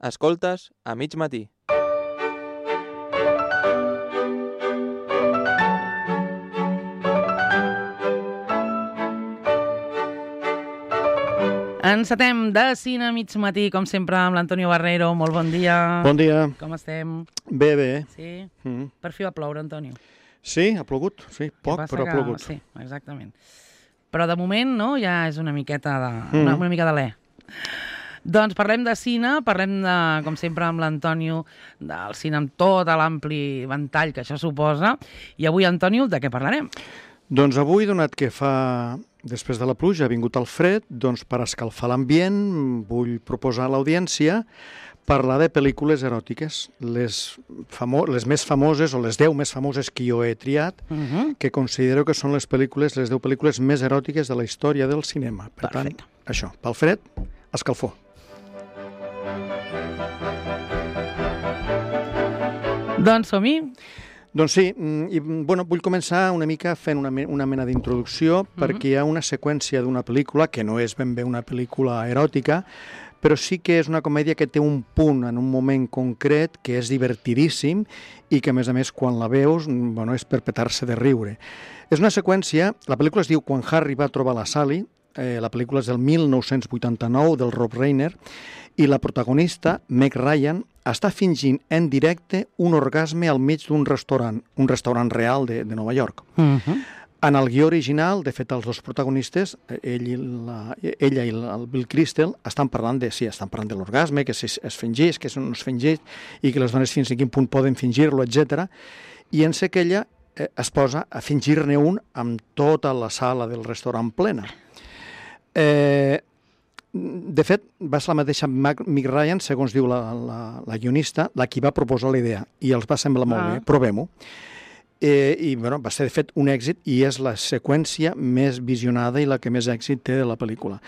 Escoltes a mig matí. Encetem de cine a mig matí, com sempre, amb l'Antonio Barrero. Molt bon dia. Bon dia. Com estem? Bé, bé. Sí? Per fi va ploure, Antonio. Sí, ha plogut. Sí, poc, però ha plogut. Sí, exactament. Però de moment, no?, ja és una miqueta de... una mica de l'e. Doncs parlem de cine, parlem, com sempre, amb l'Antonio, del cine amb tot l'ampli ventall que això suposa. I avui, Antonio, de què parlarem? Doncs avui, donat que fa... Després de la pluja ha vingut el fred, doncs per escalfar l'ambient vull proposar a l'audiència parlar de pel·lícules eròtiques, les més famoses o les 10 més famoses que jo he triat, que considero que són les 10 pel·lícules més eròtiques de la història del cinema. Per tant, això, pel fred, escalfor. Doncs som-hi. Doncs sí, vull començar una mica fent una mena d'introducció perquè hi ha una seqüència d'una pel·lícula que no és ben bé una pel·lícula eròtica, però sí que és una comèdia que té un punt en un moment concret que és divertidíssim i que, a més, quan la veus, és per petar-se de riure. És una seqüència, la pel·lícula es diu Quan Harry va trobar la Sally, la pel·lícula és del 1989, del Rob Reiner, i la protagonista, Meg Ryan, està fingint en directe un orgasme al mig d'un restaurant, un restaurant real de Nova York. En el guió original, de fet, els dos protagonistes, ella i el Bill Crystal, estan parlant de l'orgasme, que es fingeix, que no es fingeix, i que les dones fins a quin punt poden fingir-lo, etc. I en sé que ella es posa a fingir-ne un amb tota la sala del restaurant plena. De fet, va ser la mateixa Meg Ryan, segons diu la guionista, la qui va proposar la idea, i els va semblar molt bé, provem-ho. I va ser, de fet, un èxit i és la seqüència més visionada i la que més èxit té de la pel·lícula.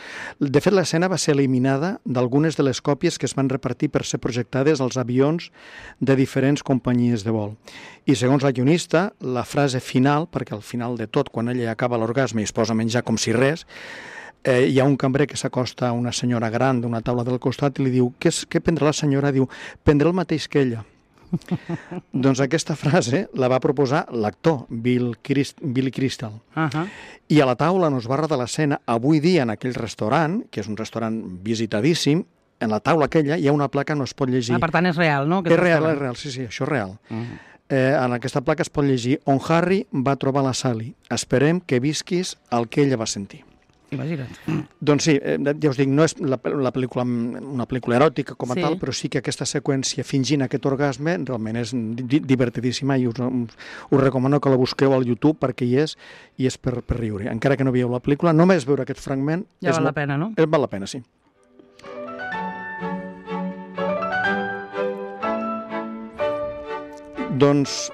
De fet, l'escena va ser eliminada d'algunes de les còpies que es van repartir per ser projectades als avions de diferents companyies de vol. I segons la guionista, la frase final, perquè al final de tot, quan ella acaba l'orgasme i es posa a menjar com si res, hi ha un cambrer que s'acosta a una senyora gran d'una taula del costat i li diu, què prendrà la senyora? Diu, prendrà el mateix que ella. Doncs aquesta frase la va proposar l'actor Billy Crystal. I a la taula on es va rodar l'escena, avui dia en aquell restaurant, que és un restaurant visitadíssim, en la taula aquella hi ha una placa on es pot llegir. Per tant és real, no? És real, sí, això és real. En aquesta placa es pot llegir On Harry va trobar la Sally. Esperem que visquis el que ella va sentir. Imagina't. Doncs sí, ja us dic, no és una pel·lícula eròtica com a tal, però sí que aquesta seqüència fingint aquest orgasme realment és divertidíssima i us recomano que la busqueu al YouTube perquè hi és, i és per riure. Encara que no veieu la pel·lícula, només veure aquest fragment... Ja val la pena, no? Val la pena, sí. Doncs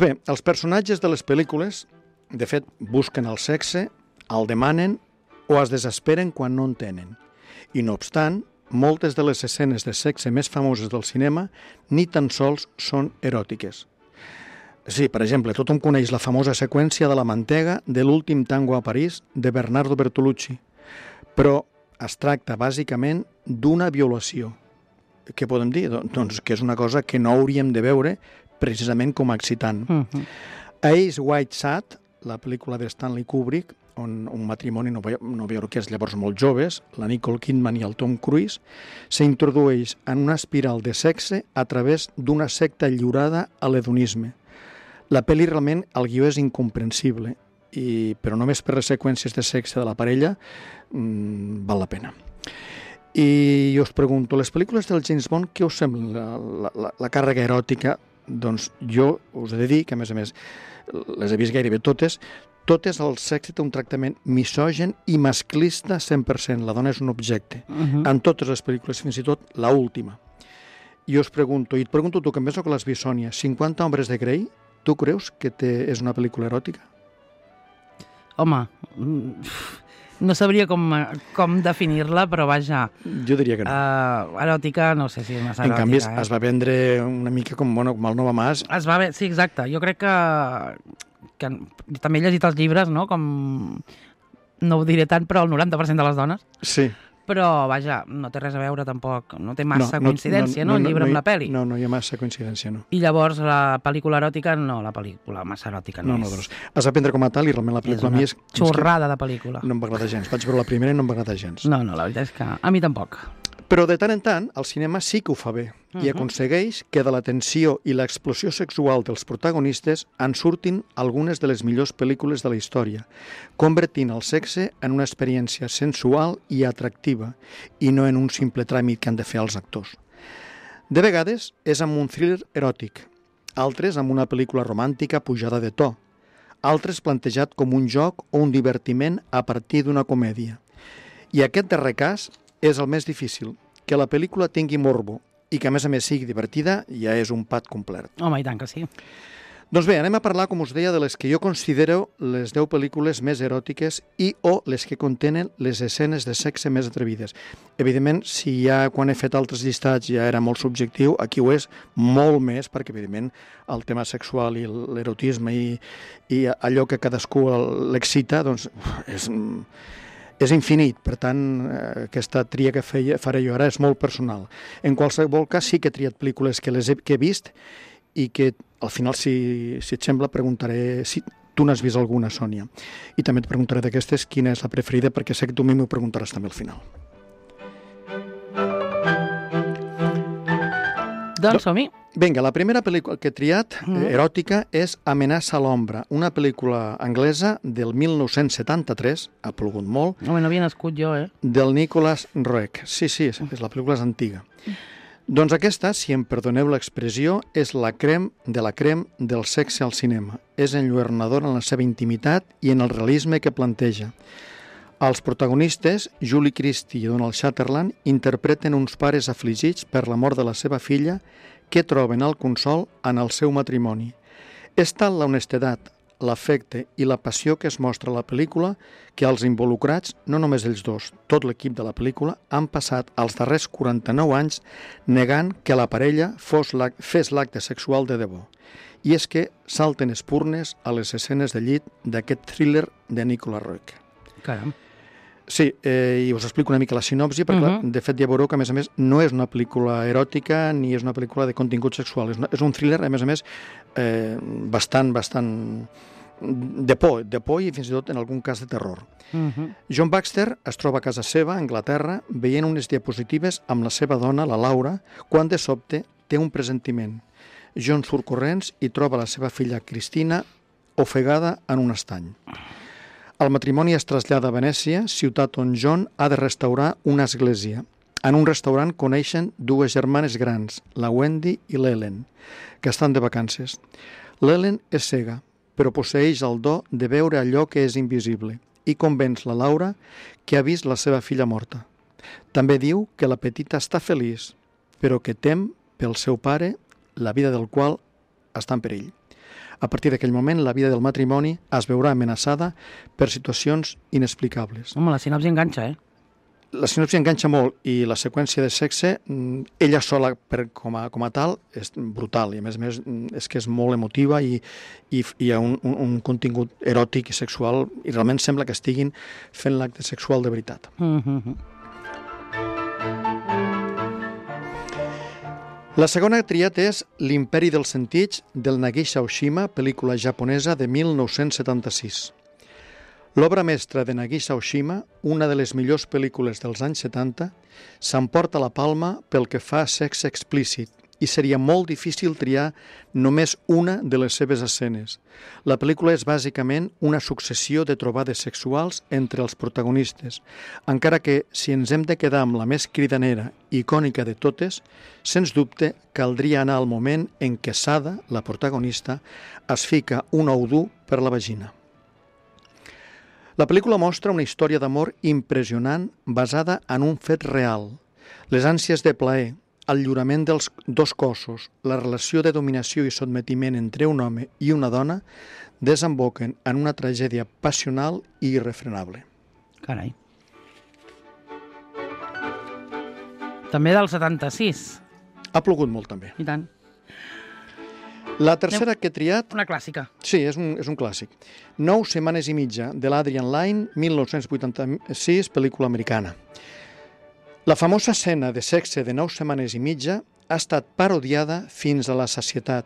bé, els personatges de les pel·lícules, de fet, busquen el sexe, el demanen o es desesperen quan no en tenen. I no obstant, moltes de les escenes de sexe més famoses del cinema ni tan sols són eròtiques. Sí, per exemple, tothom coneix la famosa seqüència de la mantega de l'últim tango a París de Bernardo Bertolucci, però es tracta bàsicament d'una violació. Què podem dir? Doncs que és una cosa que no hauríem de veure precisament com a excitant. Eyes Wide Shut, la pel·lícula de Stanley Kubrick, on un matrimoni novaiorquès llavors molt joves, la Nicole Kidman i el Tom Cruise, s'introdueix en una espiral de sexe a través d'una secta lliurada a l'hedonisme. La pel·li realment, el guió és incomprensible, però només per les seqüències de sexe de la parella val la pena. I jo us pregunto, les pel·lícules del James Bond, què us sembla la càrrega eròtica? Doncs jo us he de dir que, a més, les he vist gairebé totes el sexe té un tractament misògen i masclista 100%. La dona és un objecte. En totes les pel·lícules, fins i tot l'última. I us pregunto, i et pregunto tu, que em veus que l'has vist, Sònia, 50 hombres de Grey, tu creus que és una pel·lícula eròtica? Home, no sabria com definir-la, però vaja... Jo diria que no. Eròtica, no sé si és massa eròtica. En canvi, es va vendre una mica com el Nova Mas. Sí, exacte. Jo crec que també he llegit els llibres, no? Com, no ho diré tant, però el 90% de les dones. Sí. però, vaja, no té res a veure tampoc, no té massa coincidència, no? El llibre amb la pel·li. No hi ha massa coincidència, no. I llavors la pel·lícula eròtica, no, la pel·lícula massa eròtica no és. Doncs has d'aprendre com a tal i realment la pel·lícula a mi és... xorrada de pel·lícula. No em va agradar gens. Vaig veure la primera i no em va agradar gens. No, la veritat és que a mi tampoc. Però de tant en tant, el cinema sí que ho fa bé i aconsegueix que de la tensió i l'explosió sexual dels protagonistes en surtin algunes de les millors pel·lícules de la història, convertint el sexe en una experiència sensual i atractiva i no en un simple tràmit que han de fer els actors. De vegades és amb un thriller eròtic, altres amb una pel·lícula romàntica pujada de to, altres plantejat com un joc o un divertiment a partir d'una comèdia. I aquest darrer cas és el més difícil, que la pel·lícula tingui morbo i que a més sigui divertida ja és un pat complet. Home, i tant que sí. Doncs bé, anem a parlar, com us deia, de les que jo considero les 10 pel·lícules més eròtiques i o les que contenen les escenes de sexe més atrevides. Evidentment, si ja quan he fet altres llistats ja era molt subjectiu, aquí ho és molt més, perquè evidentment el tema sexual i l'erotisme i allò que cadascú l'excita, doncs és infinit, per tant, aquesta tria que faré jo ara és molt personal. En qualsevol cas, sí que he triat pel·lícules que he vist i que al final, si et sembla, preguntaré si tu n'has vist alguna, Sònia. I també et preguntaré d'aquestes quina és la preferida, perquè sé que tu m'ho preguntaràs també al final. Doncs som-hi. Vinga, la primera pel·lícula que he triat, eròtica, és Amenaça a l'ombra, una pel·lícula anglesa del 1973, ha plogut molt. Home, no havia nascut jo, Del Nicholas Roeg. Sí, la pel·lícula és antiga. Doncs aquesta, si em perdoneu l'expressió, és la crem de la crem del sexe al cinema. És enlluernadora en la seva intimitat i en el realisme que planteja. Els protagonistes, Julie Christie i Donald Sutherland, interpreten uns pares afligits per la mort de la seva filla que troben el consol en el seu matrimoni. És tal l'honestedat, l'afecte i la passió que es mostra a la pel·lícula que els involucrats, no només ells dos, tot l'equip de la pel·lícula, han passat els darrers 49 anys negant que la parella fes l'acte sexual de debò. I és que salten espurnes a les escenes de llit d'aquest thriller de Nicholas Roeg. Caram. Sí, i us explico una mica la sinopsi, perquè clar, de fet ja veureu que, a més, no és una pel·lícula eròtica ni és una pel·lícula de contingut sexual. És un thriller, a més, bastant de por i fins i tot en algun cas de terror. John Baxter es troba a casa seva, a Anglaterra, veient unes diapositives amb la seva dona, la Laura, quan de sobte té un presentiment. John surt corrents i troba la seva filla Cristina ofegada en un estany. El matrimoni es trasllada a Venècia, ciutat on John ha de restaurar una església. En un restaurant coneixen dues germanes grans, la Wendy i l'Ellen, que estan de vacances. L'Ellen és cega, però posseeix el do de veure allò que és invisible i convenç la Laura que ha vist la seva filla morta. També diu que la petita està feliç, però que tem pel seu pare, la vida del qual està en perill. A partir d'aquell moment, la vida del matrimoni es veurà amenaçada per situacions inexplicables. Home, la sinopsi enganxa, La sinopsi enganxa molt i la seqüència de sexe, ella sola com a tal, és brutal i a més és que és molt emotiva i hi ha un contingut eròtic i sexual i realment sembla que estiguin fent l'acte sexual de veritat. La segona triat és L'imperi dels sentits, del Nagisa Oshima, pel·lícula japonesa de 1976. L'obra mestra de Nagisa Oshima, una de les millors pel·lícules dels anys 70, s'emporta la palma pel que fa a sexe explícit i seria molt difícil triar només una de les seves escenes. La pel·lícula és bàsicament una successió de trobades sexuals entre els protagonistes, encara que si ens hem de quedar amb la més cridanera i icònica de totes, sens dubte caldria anar al moment en què Sada, la protagonista, es fica un ou dur per la vagina. La pel·lícula mostra una història d'amor impressionant basada en un fet real. Les ànsies de plaer, el lliurament dels dos cossos, la relació de dominació i sotmetiment entre un home i una dona desemboquen en una tragèdia passional i irrefrenable. Carai. També del 76. Ha plogut molt, també. I tant. La tercera que he triat... Una clàssica. Sí, és un clàssic. 9 setmanes i mitja, de l'Adrian Lyne, 1986, pel·lícula americana. La famosa escena de sexe de 9 setmanes i mitja ha estat parodiada fins a la sacietat,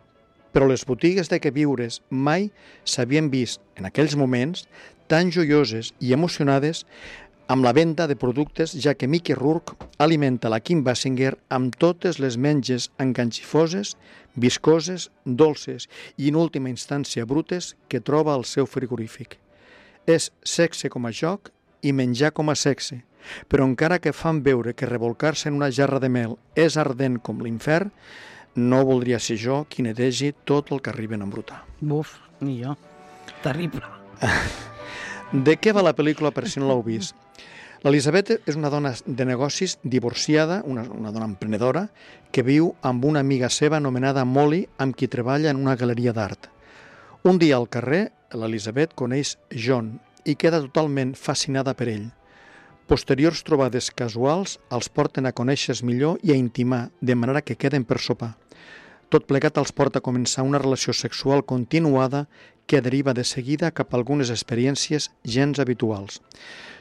però les botigues de queviures mai s'havien vist, en aquells moments, tan joioses i emocionades amb la venda de productes, ja que Mickey Rourke alimenta la Kim Basinger amb totes les menges enganxifoses, viscoses, dolces i, en última instància, brutes que troba al seu frigorífic. És sexe com a joc i menjar com a sexe, però encara que fan veure que rebolcar-se en una jarra de mel és ardent com l'infern, no voldria ser jo qui netegi tot el que arriben a embrutar. Buf, ni jo. Terrible. De què va la pel·lícula, per si no l'heu vist? L'Elisabet és una dona de negocis divorciada, una dona emprenedora, que viu amb una amiga seva anomenada Molly, amb qui treballa en una galeria d'art. Un dia al carrer, l'Elisabet coneix John i queda totalment fascinada per ell. Posteriors trobades casuals els porten a conèixer millor i a intimar, de manera que queden per sopar. Tot plegat els porta a començar una relació sexual continuada que deriva de seguida cap a algunes experiències gens habituals.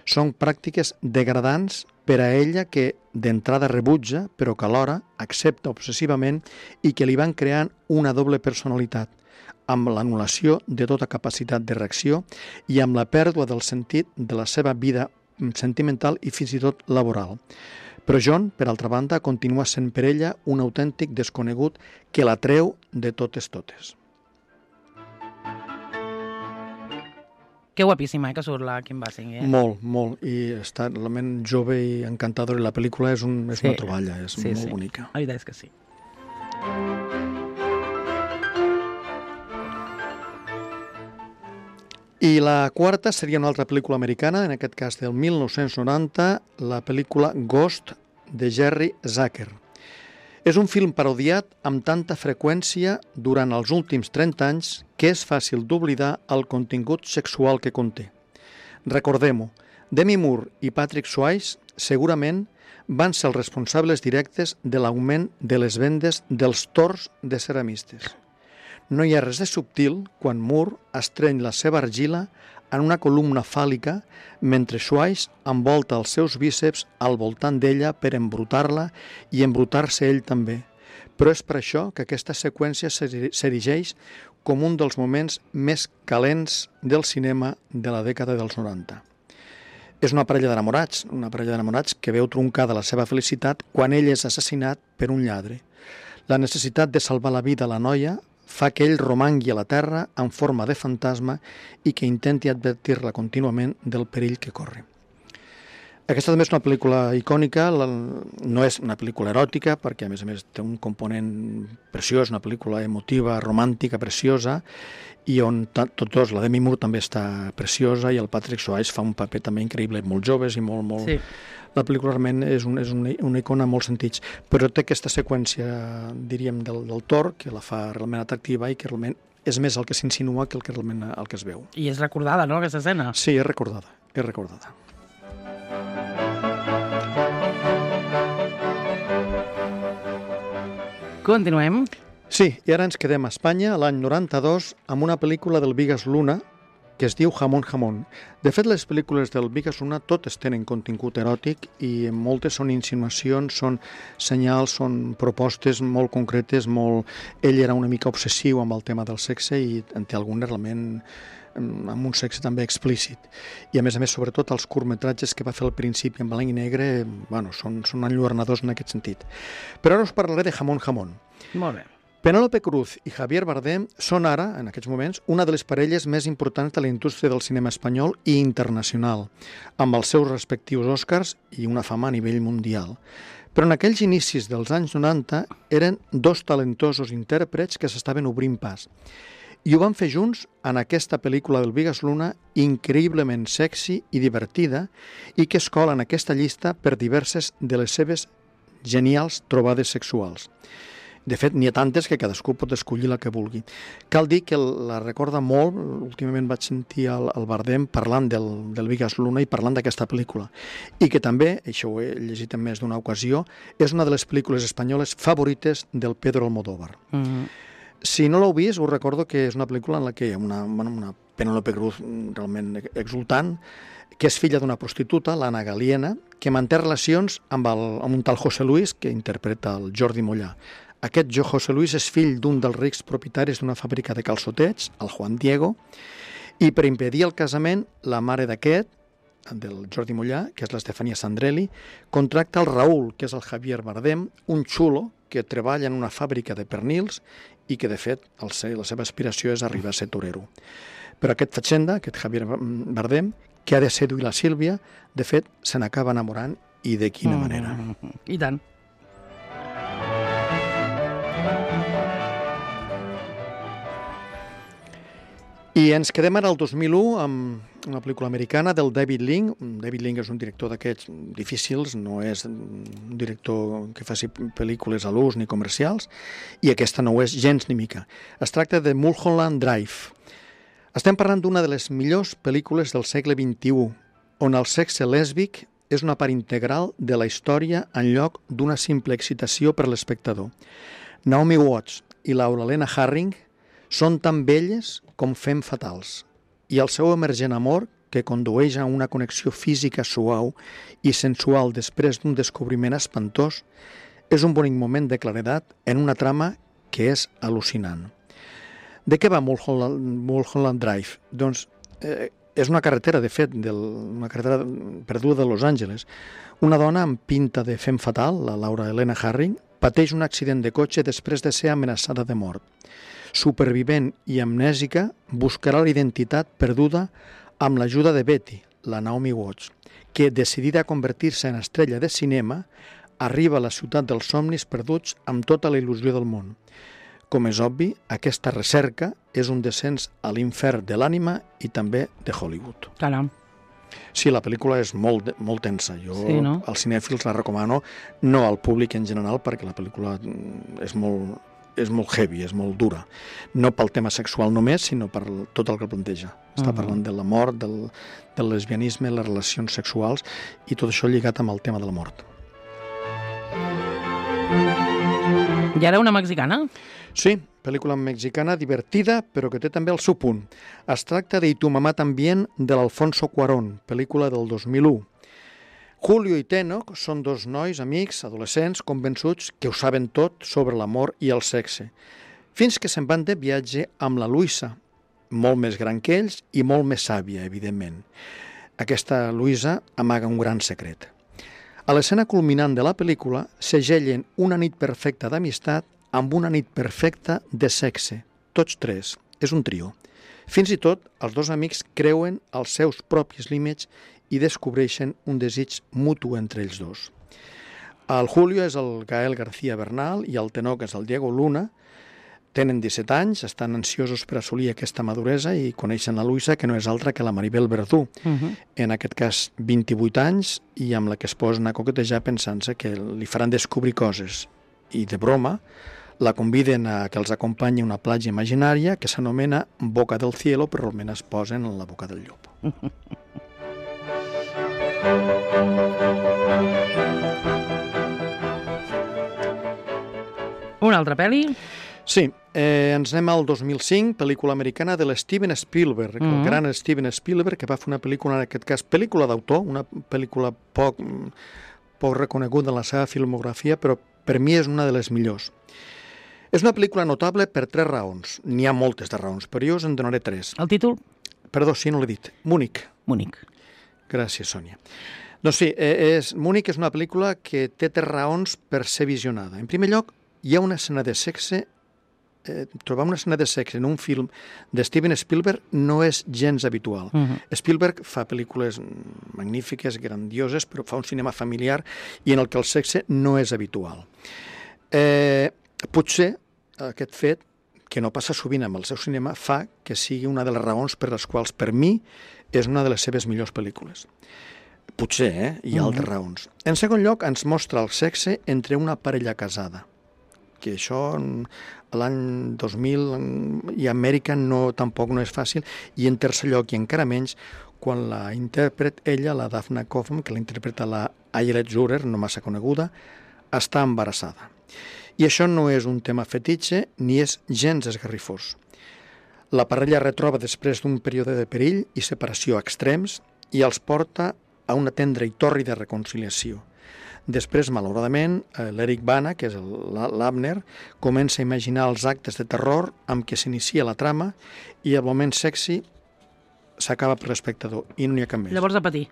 Són pràctiques degradants per a ella que d'entrada rebutja, però que alhora accepta obsessivament i que li van creant una doble personalitat, amb l'anul·lació de tota capacitat de reacció i amb la pèrdua del sentit de la seva vida sentimental i fins i tot laboral. Però John, per altra banda, continua sent per ella un autèntic desconegut que la treu de totes. Que guapíssima, que surt la Kim Basinger. Molt, molt. I està realment jove i encantadora. I la pel·lícula és una troballa, és molt bonica. La veritat és que sí. I la quarta seria una altra pel·lícula americana, en aquest cas del 1990, la pel·lícula Ghost, de Jerry Zucker. És un film parodiat amb tanta freqüència durant els últims 30 anys que és fàcil d'oblidar el contingut sexual que conté. Recordem-ho, Demi Moore i Patrick Swayze segurament van ser els responsables directes de l'augment de les vendes dels tors de ceramistes. No hi ha res de subtil quan Moore estreny la seva argila en una columna fàl·lica mentre Swayze envolta els seus bíceps al voltant d'ella per embrutar-la i embrutar-se ell també. Però és per això que aquesta seqüència s'erigeix com un dels moments més calents del cinema de la dècada dels 90. És una parella d'enamorats que veu truncada la seva felicitat quan ell és assassinat per un lladre. La necessitat de salvar la vida a la noia fa que ell romangui a la terra en forma de fantasma i que intenti advertir-la contínuament del perill que corre. Aquesta també és una pel·lícula icònica, no és una pel·lícula eròtica, perquè a més té un component preciós, una pel·lícula emotiva, romàntica, preciosa, i on tots, la Demi Moore també està preciosa i el Patrick Swayze fa un paper també increïble, molt joves i molt... Sí. La pel·lícula realment és una icona en molts sentits, però té aquesta seqüència, diríem, del Thor, que la fa realment atractiva i que realment és més el que s'insinua que realment el que es veu. I és recordada, no, aquesta escena? Sí, és recordada. Continuem. Sí, i ara ens quedem a Espanya, l'any 92, amb una pel·lícula del Bigas Luna, que es diu Jamón Jamón. De fet, les pel·lícules del Bigas Luna totes tenen contingut eròtic i moltes són insinuacions, són senyals, són propostes molt concretes, Ell era una mica obsessiu amb el tema del sexe i en té algunes realment amb un sexe també explícit. I a més, sobretot els curtmetratges que va fer al principi en blanc i negre, són enlluernadors en aquest sentit. Però ara us parlaré de Jamón Jamón. Molt bé. Penélope Cruz i Javier Bardem són ara, en aquests moments, una de les parelles més importants de la indústria del cinema espanyol i internacional, amb els seus respectius Oscars i una fama a nivell mundial. Però en aquells inicis dels anys 90 eren dos talentosos intèrprets que s'estaven obrint pas. I ho van fer junts en aquesta pel·lícula del Bigas Luna, increïblement sexy i divertida, i que es cola en aquesta llista per diverses de les seves genials trobades sexuals. De fet, n'hi ha tantes que cadascú pot escollir la que vulgui. Cal dir que la recorda molt, últimament vaig sentir el Bardem parlant del Bigas Luna i parlant d'aquesta pel·lícula. I que també, això ho he llegit en més d'una ocasió, és una de les pel·lícules espanyoles favorites del Pedro Almodóvar. Si no l'heu vist, us recordo que és una pel·lícula en la que hi ha una Penélope Cruz realment exultant, que és filla d'una prostituta, l'Anna Galiena, que manté relacions amb un tal José Luis, que interpreta el Jordi Mollà. Aquest José Luis és fill d'un dels rics propietaris d'una fàbrica de calçotets, el Juan Diego, i per impedir el casament, la mare d'aquest, del Jordi Mollà, que és l'Estefania Sandrelli, contracta el Raúl, que és el Javier Bardem, un xulo que treballa en una fàbrica de pernils i que, de fet, la seva aspiració és arribar a ser torero. Però aquest fatxenda, aquest Javier Bardem, que ha de seduir la Sílvia, de fet, se n'acaba enamorant, i de quina manera. I tant. I ens quedem ara al 2001 amb una pel·lícula americana del David Link. David Link és un director d'aquests difícils, no és un director que faci pel·lícules a l'ús ni comercials, i aquesta no ho és gens ni mica. Es tracta de Mulholland Drive. Estem parlant d'una de les millors pel·lícules del segle XXI, on el sexe lèsbic és una part integral de la història en lloc d'una simple excitació per l'espectador. Naomi Watts i Laura Lena Harring són tan belles com fem fatals, i el seu emergent amor, que condueix a una connexió física suau i sensual després d'un descobriment espantós, és un bonic moment de claredat en una trama que és al·lucinant. De què va Mulholland Drive? Doncs és una carretera, de fet, una carretera perduda de Los Angeles. Una dona amb pinta de fem fatal, la Laura Elena Harring, pateix un accident de cotxe després de ser amenaçada de mort. Supervivent i amnèsica, buscarà la identitat perduda amb l'ajuda de Betty, la Naomi Watts, que, decidida a convertir-se en estrella de cinema, arriba a la ciutat dels somnis perduts amb tota la il·lusió del món. Com és obvi, aquesta recerca és un descens a l'infern de l'ànima i també de Hollywood. Caram. Sí, la pel·lícula és molt tensa. Jo als cinèfils la recomano, no al públic en general, perquè la pel·lícula és molt heavy, és molt dura. No pel tema sexual només, sinó per tot el que planteja. Està parlant de la mort, del lesbianisme, les relacions sexuals i tot això lligat amb el tema de la mort. I ara una mexicana? Sí, pel·lícula mexicana divertida, però que té també el seu punt. Es tracta de Y tu mamá también, de l'Alfonso Cuarón, pel·lícula del 2001. Julio i Tenoch són dos nois, amics, adolescents, convençuts que ho saben tot sobre l'amor i el sexe, fins que se'n van de viatge amb la Luisa, molt més gran que ells i molt més sàvia, evidentment. Aquesta Luisa amaga un gran secret. A l'escena culminant de la pel·lícula segellen una nit perfecta d'amistat amb una nit perfecta de sexe. Tots tres. És un trio. Fins i tot, els dos amics creuen els seus propis límits i descobreixen un desig mutu entre ells dos. El Julio és el Gael García Bernal i el Tenoch és el Diego Luna. Tenen 17 anys, estan ansiosos per assolir aquesta maduresa i coneixen la Luisa, que no és altra que la Maribel Verdú. En aquest cas, 28 anys, i amb la que es posen a coquetejar pensant-se que li faran descobrir coses. I de broma, la conviden a que els acompanyi a una platja imaginària que s'anomena Boca del Cielo, però almenys es posen en la boca del llop. Una altra pel·li? Sí, ens anem al 2005, pel·lícula americana de l'Steven Spielberg, el gran Steven Spielberg, que va fer una pel·lícula, en aquest cas, pel·lícula d'autor, una pel·lícula poc reconeguda en la seva filmografia, però per mi és una de les millors. És una pel·lícula notable per 3 raons. N'hi ha moltes de raons, però jo us en donaré 3. El títol? Perdó, sí, no l'he dit. Múnich. Múnich. Gràcies, Sònia. Doncs sí, Múnich és una pel·lícula que té 3 raons per ser visionada. En primer lloc, hi ha una escena de sexe. Trobar una escena de sexe en un film de Steven Spielberg no és gens habitual. Spielberg fa pel·lícules magnífiques, grandioses, però fa un cinema familiar i en el que el sexe no és habitual. Potser aquest fet, que no passa sovint amb el seu cinema, fa que sigui una de les raons per les quals, per mi, és una de les seves millors pel·lícules. Potser, hi ha altres raons. En segon lloc, ens mostra el sexe entre una parella casada, que això a l'any 2000 i a Amèrica tampoc no és fàcil, i en tercer lloc, i encara menys, quan la intèrpret ella, la Daphne Kaufman, que la interpreta la Ayelet Zurer, no massa coneguda, està embarassada. I això no és un tema fetitxe ni és gens esgarrifós. La parella retroba després d'un període de perill i separació extrems i els porta a una tendra i tòrrida reconciliació. Després, malauradament, l'Eric Bana, que és l'Abner, comença a imaginar els actes de terror amb què s'inicia la trama i el moment sexy s'acaba per l'espectador i no n'hi ha cap més. Llavors a patir.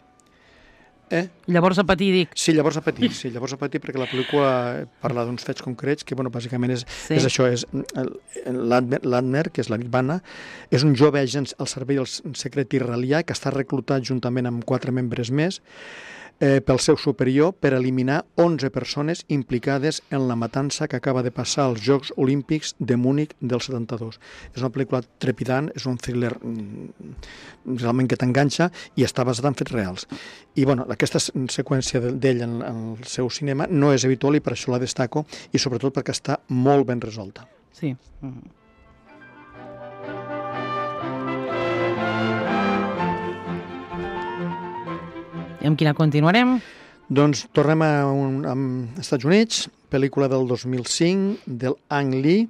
Llavors a patir, dic. Sí, llavors a patir, perquè la pel·lícula parla d'uns fets concrets que, bàsicament és això, és l'Abner, que és l'Eric Bana, és un jove agent al servei del secret israelià que està reclutat juntament amb 4 membres més pel seu superior per eliminar 11 persones implicades en la matança que acaba de passar als Jocs Olímpics de Múnich del 72. És una pel·lícula trepidant, és un thriller realment que t'enganxa i està basada en fets reals. I aquesta seqüència d'ell en el seu cinema no és habitual i per això la destaco i sobretot perquè està molt ben resolta. Sí. I amb quina continuarem? Doncs tornem als Estats Units, pel·lícula del 2005 del Ang Lee,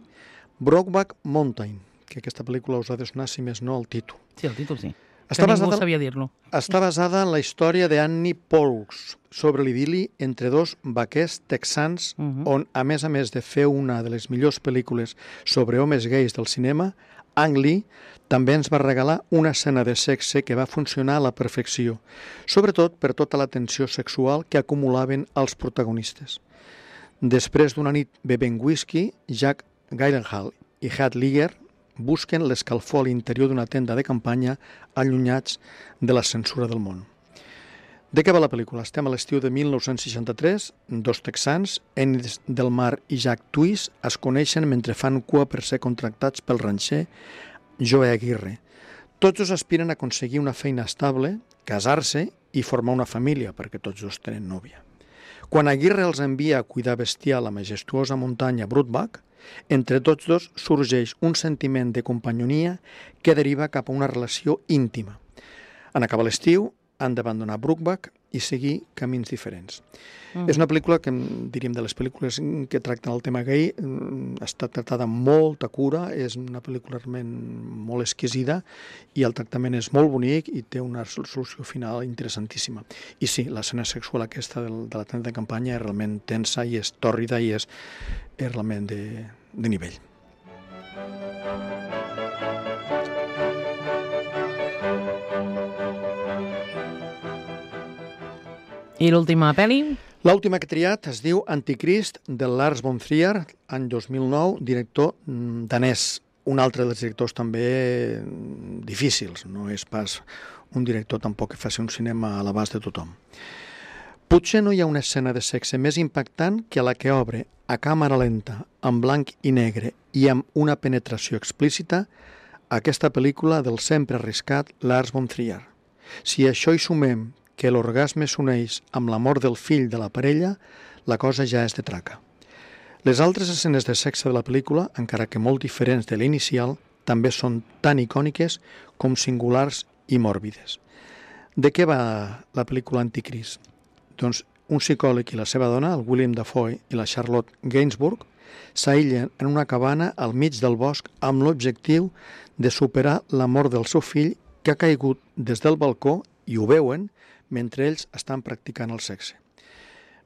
Brokeback Mountain, que aquesta pel·lícula us ha de sonar, si més no, el títol. Sí, el títol sí. Ningú sabia dir-lo. Està basada en la història d'Annie Pauls sobre l'idili entre 2 vaquers texans on, a més de fer una de les millors pel·lícules sobre homes gais del cinema, Ang Lee també ens va regalar una escena de sexe que va funcionar a la perfecció, sobretot per tota la tensió sexual que acumulaven els protagonistes. Després d'una nit bevent whisky, Jack Gyllenhaal i Heath Ledger busquen l'escalfor a l'interior d'una tenda de campanya allunyats de la censura del món. De què va la pel·lícula? Estem a l'estiu de 1963, 2 texans, Ennis Del Mar i Jack Twist, es coneixen mentre fan cua per ser contractats pel ranxer Joe Aguirre. Tots dos aspiren a aconseguir una feina estable, casar-se i formar una família, perquè tots dos tenen nòvia. Quan Aguirre els envia a cuidar bestiar a la majestuosa muntanya Brokeback, entre tots dos sorgeix un sentiment de companyonia que deriva cap a una relació íntima. En acabar l'estiu, han d'abandonar Brokeback i seguir camins diferents. És una pel·lícula que, diríem, de les pel·lícules que tracten el tema gay, està tractada amb molta cura, és una pel·lícula realment molt exquisida i el tractament és molt bonic i té una solució final interessantíssima. I sí, l'escena sexual aquesta de la tenda de campanya és realment tensa i és tòrrida i és realment de nivell. I l'última pel·li? L'última que he triat es diu Anticrist, de Lars von Trier, any 2009, director danès. Un altre dels directors també difícils, no és pas un director tampoc que faci un cinema a l'abast de tothom. Potser no hi ha una escena de sexe més impactant que la que obre a càmera lenta, en blanc i negre i amb una penetració explícita, aquesta pel·lícula del sempre arriscat Lars von Trier. Si a això hi sumem que l'orgasme s'uneix amb la mort del fill de la parella, la cosa ja és de traca. Les altres escenes de sexe de la pel·lícula, encara que molt diferents de l'inicial, també són tan icòniques com singulars i mòrbides. De què va la pel·lícula Anticrist? Doncs un psicòleg i la seva dona, el William Dafoe i la Charlotte Gainsbourg, s'aïllen en una cabana al mig del bosc amb l'objectiu de superar la mort del seu fill que ha caigut des del balcó i ho veuen mentre ells estan practicant el sexe.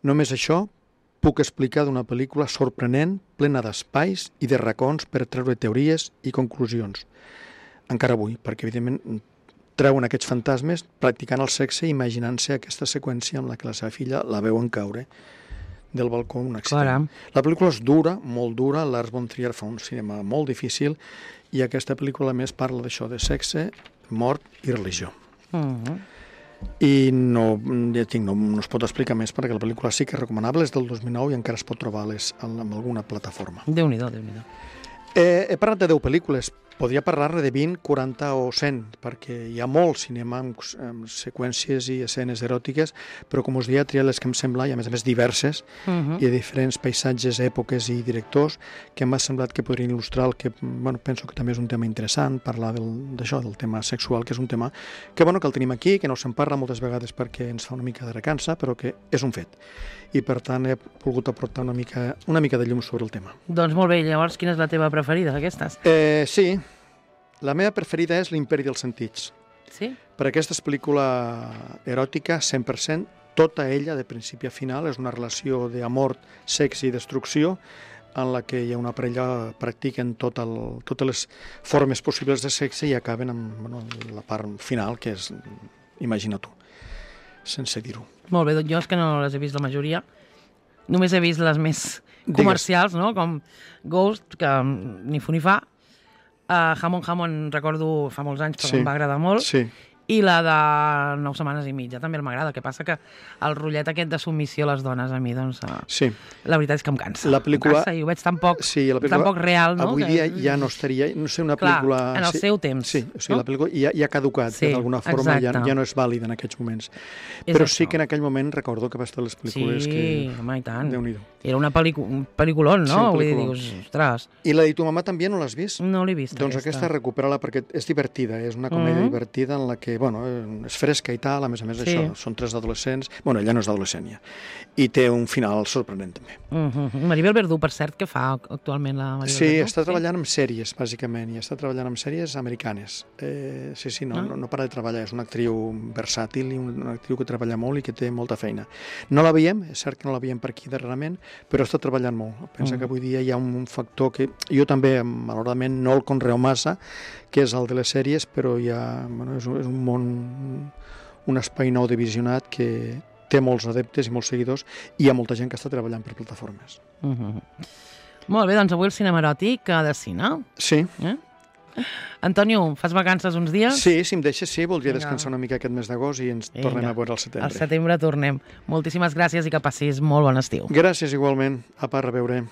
Només això puc explicar d'una pel·lícula sorprenent, plena d'espais i de racons per treure teories i conclusions. Encara avui, perquè evidentment treuen aquests fantasmes practicant el sexe i imaginant-se aquesta seqüència amb la que la seva filla la veuen caure del balcó un accident. Caram. La pel·lícula és dura, molt dura, Lars von Trier fa un cinema molt difícil i aquesta pel·lícula a més parla d'això, de sexe, mort i religió. I no es pot explicar més perquè la pel·lícula sí que és recomanable, és del 2009 i encara es pot trobar en alguna plataforma. Déu-n'hi-do, Déu-n'hi-do. He parlat de 10 pel·lícules, podria parlar-ne de 20, 40 o 100, perquè hi ha molt cinema amb seqüències i escenes eròtiques, però com us deia, he triat les que em sembla, i a més diverses, i de diferents paisatges, èpoques i directors, que m'ha semblat que podrien il·lustrar el que, penso que també és un tema interessant, parlar d'això, del tema sexual, que és un tema que el tenim aquí, que no se'n parla moltes vegades perquè ens fa una mica de recança, però que és un fet. I per tant he volgut aportar una mica de llum sobre el tema. Doncs molt bé, llavors quina és la teva preferida d'aquestes? Sí, La meva preferida és L'imperi dels sentits. Sí? Per aquesta és pel·lícula eròtica 100%, tota ella, de principi a final, és una relació d'amor, sexe i destrucció, en la que hi ha una parella practiquen totes les formes possibles de sexe i acaben amb la part final, que és, imagina tu, sense dir-ho. Molt bé, doncs jo és que no les he vist la majoria. Només he vist les més comercials, no? Com Ghost, que ni fu ni fa. Jamón, recordo fa molts anys, però em va agradar molt. Sí. I la de 9 setmanes i mitja també m'agrada. El que passa que el rotllet aquest de submissió a les dones a mi, doncs, sí. La veritat és que em cansa. La pel·lícula... Em cansa i ho veig tan poc real, no? Avui dia ja no estaria... No sé, una pel·lícula... Clar, en el seu temps. Sí, o sigui, no? La pel·lícula ja ha caducat, sí, d'alguna forma ja no és vàlida en aquests moments. Però sí que en aquell moment recordo que va estar les pel·lícules que... Sí, home, i tant. Déu-n'hi-do. Era un pel·lículon, no? Sí, Vull dir, dius, ostres... I la de Tu mamà també no l'has vist? No l'he vist, doncs aquesta recupera-la perquè és divertida, és una comèdia divertida en la que, bueno, és fresca i tal, a més això, són 3 adolescents, bueno, ella no és adolescent ja, i té un final sorprenent també. Maribel Verdú, per cert, què fa actualment la Maribel Verdú? Sí, està treballant en sèries, bàsicament, i està treballant en sèries americanes. Sí, no para de treballar, és una actriu versàtil i una actriu que treballa molt i que té molta feina. No la veiem, és cert que no la veiem per aquí darrerament, però està treballant molt. Pensa que avui dia hi ha un factor que jo també, malauradament, no el conreo massa, que és el de les sèries, però és un món, un espai nou de visionat que té molts adeptes i molts seguidors i hi ha molta gent que està treballant per plataformes. Molt bé, doncs avui el cinema eròtic de cine. Sí. Antonio, fas vacances uns dies? Sí, si em deixes, sí, voldria descansar una mica aquest mes d'agost i ens tornem a veure al setembre. Al setembre tornem. Moltíssimes gràcies i que passis molt bon estiu. Gràcies igualment. Apa, a reveure.